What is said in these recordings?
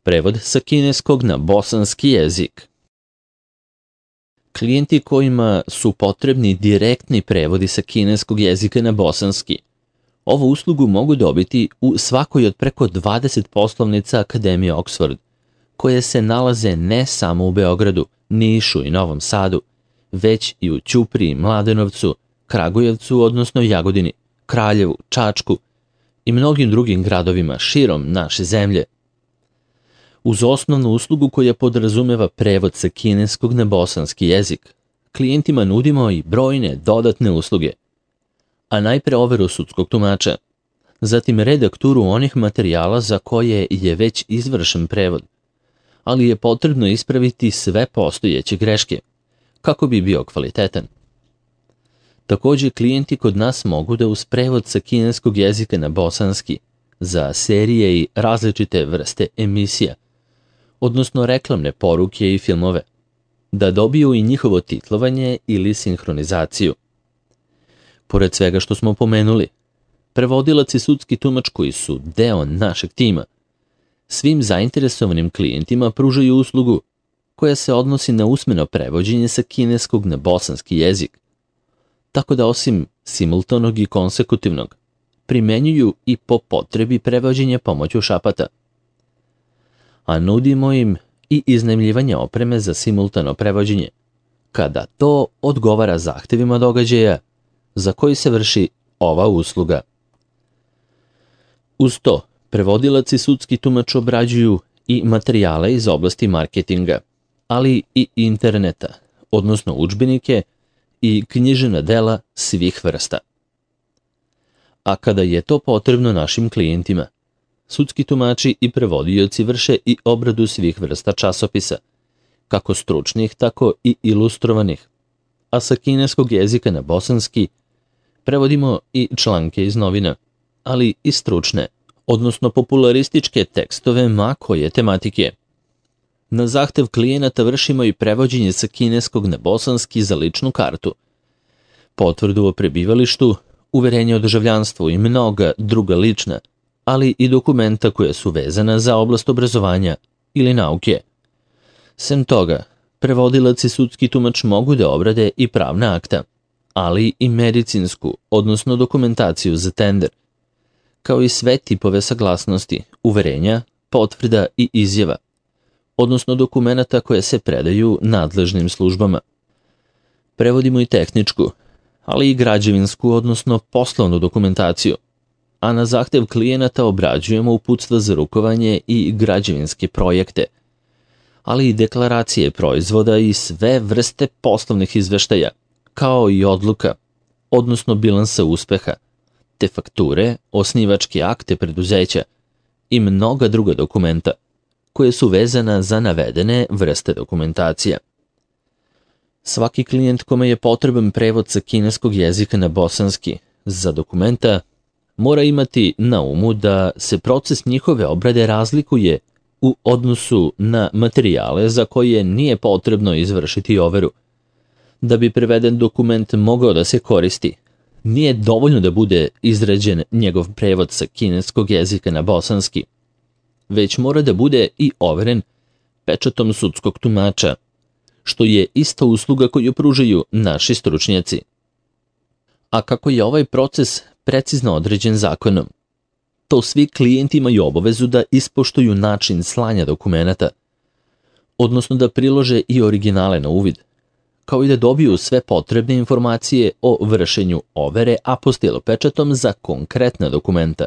Prevod sa kineskog na bosanski jezik. Klijenti kojima su potrebni direktni prevodi sa kineskog jezika na bosanski, ovu uslugu mogu dobiti u svakoj od preko 20 poslovnica Akademije Oxford, koje se nalaze ne samo u Beogradu, Nišu i Novom Sadu, već i u Ćupriji, Mladenovcu, Kragujevcu, odnosno Jagodini, Kraljevu, Čačku i mnogim drugim gradovima širom naše zemlje. Uz osnovnu uslugu koja podrazumeva prevod sa kineskog na bosanski jezik, klijentima nudimo i brojne dodatne usluge, a najpre overu sudskog tumača, zatim redakturu onih materijala za koje je već izvršen prevod, ali je potrebno ispraviti sve postojeće greške, kako bi bio kvalitetan. Također, klijenti kod nas mogu da uz prevod sa kineskog jezika na bosanski za serije i različite vrste emisija, odnosno reklamne poruke i filmove, da dobiju i njihovo titlovanje ili sinhronizaciju. Pored svega što smo pomenuli, prevodilac i sudski tumač koji su deo našeg tima, svim zainteresovanim klijentima pružaju uslugu koja se odnosi na usmeno prevođenje sa kineskog na bosanski jezik, tako da osim simultanog i konsekutivnog, primenjuju i po potrebi prevođenje pomoću šapata. A nudimo im i iznajmljivanje opreme za simultano prevođenje, kada to odgovara zahtevima događaja za koji se vrši ova usluga. Uz to, prevodilac i sudski tumač obrađuju i materijale iz oblasti marketinga, ali i interneta, odnosno udžbenike i književna dela svih vrsta. A kada je to potrebno našim klijentima, sudski tumači i prevodioci vrše i obradu svih vrsta časopisa, kako stručnih, tako i ilustrovanih, a sa kineskog jezika na bosanski prevodimo i članke iz novina, ali i stručne, odnosno popularističke tekstove ma koje tematike. Na zahtev klijenata vršimo i prevođenje sa kineskog na bosanski za ličnu kartu, potvrdu o prebivalištu, uverenje o državljanstvu i mnoga druga lična, ali i dokumenta koja su vezana za oblast obrazovanja ili nauke. Sem toga, prevodilac i sudski tumač mogu da obrade i pravna akta, ali i medicinsku, odnosno dokumentaciju za tender, kao i sve tipove saglasnosti, uverenja, potvrda i izjava, odnosno dokumenata koje se predaju nadležnim službama. Prevodimo i tehničku, ali i građevinsku, odnosno poslovnu dokumentaciju, a na zahtev klijenata obrađujemo uputstva za rukovanje i građevinske projekte, ali i deklaracije proizvoda i sve vrste poslovnih izveštaja, kao i odluka, odnosno bilansa uspeha, te fakture, osnivačke akte preduzeća i mnoga druga dokumenta, koje su vezana za navedene vrste dokumentacija. Svaki klijent kome je potreban prevod sa kineskog jezika na bosanski za dokumenta mora imati na umu da se proces njihove obrade razlikuje u odnosu na materijale za koje nije potrebno izvršiti overu. Da bi preveden dokument mogao da se koristi, nije dovoljno da bude izrađen njegov prevod sa kineskog jezika na bosanski, već mora da bude i overen pečatom sudskog tumača, što je ista usluga koju pružaju naši stručnjaci. A kako je ovaj proces precizno određen zakonom, to svi klijenti imaju obavezu da ispoštuju način slanja dokumenata, odnosno da prilože i originale na uvid, kao i da dobiju sve potrebne informacije o vršenju overe apostil pečatom za konkretna dokumenta.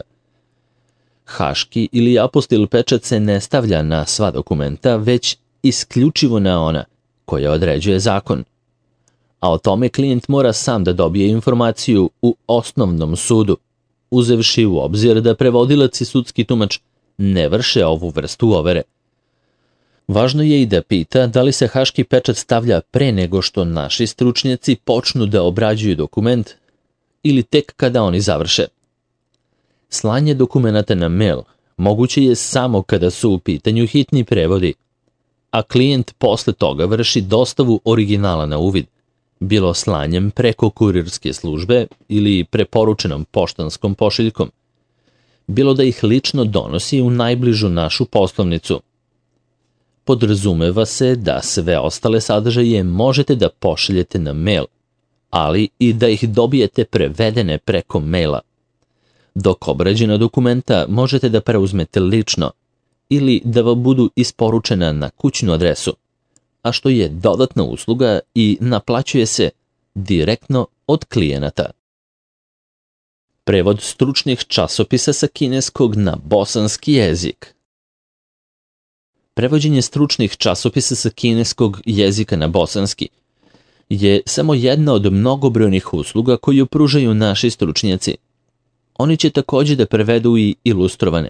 Haški ili apostil pečat se ne stavlja na sva dokumenta, već isključivo na ona koja određuje zakon. A o tome klijent mora sam da dobije informaciju u osnovnom sudu, uzevši u obzir da prevodilac i sudski tumač ne vrše ovu vrstu overe. Važno je i da pita da li se haški pečat stavlja pre nego što naši stručnjaci počnu da obrađuju dokument ili tek kada oni završe. Slanje dokumenata na mail moguće je samo kada su u pitanju hitni prevodi, a klijent posle toga vrši dostavu originala na uvid, bilo slanjem preko kurirske službe ili preporučenom poštanskom pošiljkom, bilo da ih lično donosi u najbližu našu poslovnicu podrazumeva se da sve ostale sadržaje možete da pošaljete na mail, ali i da ih dobijete prevedene preko maila, dok obrađena dokumenta možete da preuzmete lično ili da vam budu isporučena na kućnu adresu, a što je dodatna usluga i naplaćuje se direktno od klijenata. Prevod stručnih časopisa sa kineskog na bosanski jezik. Prevođenje stručnih časopisa sa kineskog jezika na bosanski je samo jedna od mnogobrojnih usluga koju pružaju naši stručnjaci. Oni će takođe da prevedu i ilustrovane,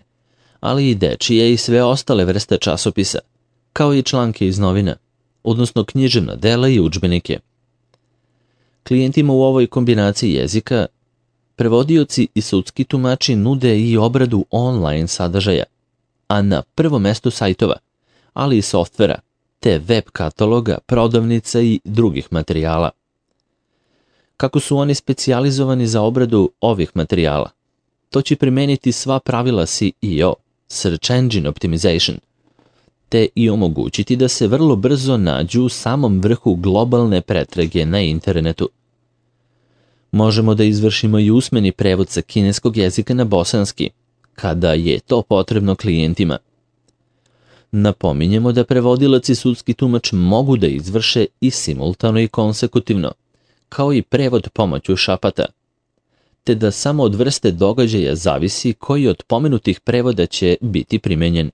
ali i dečije i sve ostale vrste časopisa, kao i članke iz novina, odnosno književna dela i udžbenike. Klijentima u ovoj kombinaciji jezika prevodioci i sudski tumači nude i obradu online sadržaja, a na prvom mestu sajtova, ali i softvera, te web kataloga, prodavnica i drugih materijala. Kako su oni specijalizovani za obradu ovih materijala? To će primeniti sva pravila SEO, Search Engine Optimization, te i omogućiti da se vrlo brzo nađu u samom vrhu globalne pretrage na internetu. Možemo da izvršimo i usmeni prevod sa kineskog jezika na bosanski, kada je to potrebno klijentima. Napominjemo da prevodilac i sudski tumač mogu da izvrše i simultano i konsekutivno, kao i prevod pomoću šapata, te da samo od vrste događaja zavisi koji od pomenutih prevoda će biti primenjen.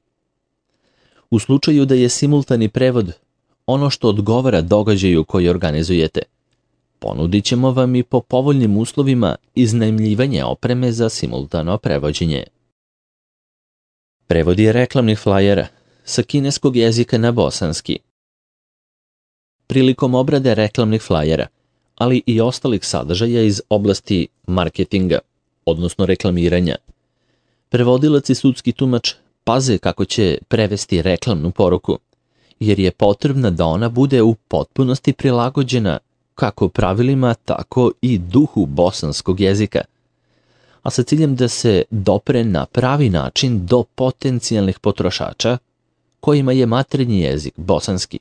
U slučaju da je simultani prevod ono što odgovara događaju koji organizujete, ponudit ćemo vam i po povoljnim uslovima iznajmljivanje opreme za simultano prevođenje. Prevodi reklamnih flajera sa kineskog jezika na bosanski. Prilikom obrade reklamnih flajera, ali i ostalih sadržaja iz oblasti marketinga, odnosno reklamiranja, prevodilac i sudski tumač paze kako će prevesti reklamnu poruku, jer je potrebna da ona bude u potpunosti prilagođena kako pravilima, tako i duhu bosanskog jezika, a sa ciljem da se dopre na pravi način do potencijalnih potrošača kojima je maternji jezik bosanski.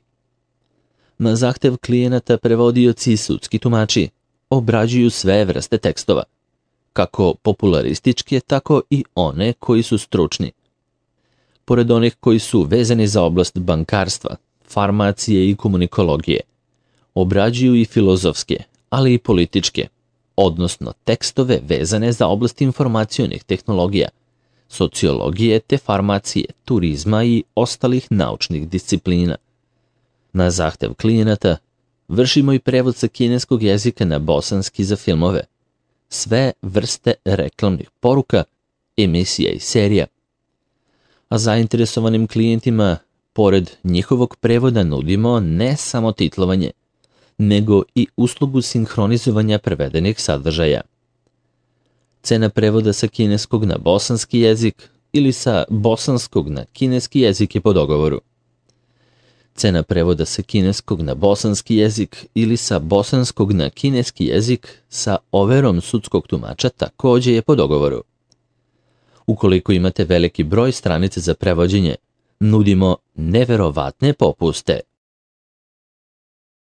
Na zahtev klijenata prevodioci i sudski tumači obrađuju sve vrste tekstova, kako popularističke, tako i one koji su stručni. Pored onih koji su vezani za oblast bankarstva, farmacije i komunikologije, obrađuju i filozofske, ali i političke, odnosno tekstove vezane za oblast informacionih tehnologija, sociologije te farmacije, turizma i ostalih naučnih disciplina. Na zahtev klijenata vršimo i prevod sa kineskog jezika na bosanski za filmove, sve vrste reklamnih poruka, emisija i serija. A zainteresovanim klijentima, pored njihovog prevoda, nudimo ne samo titlovanje, nego i uslugu sinhronizovanja prevedenih sadržaja. Cena prevoda sa kineskog na bosanski jezik ili sa bosanskog na kineski jezik je po dogovoru. Cena prevoda sa kineskog na bosanski jezik ili sa bosanskog na kineski jezik sa overom sudskog tumača takođe je po dogovoru. Ukoliko imate veliki broj stranica za prevođenje, nudimo neverovatne popuste.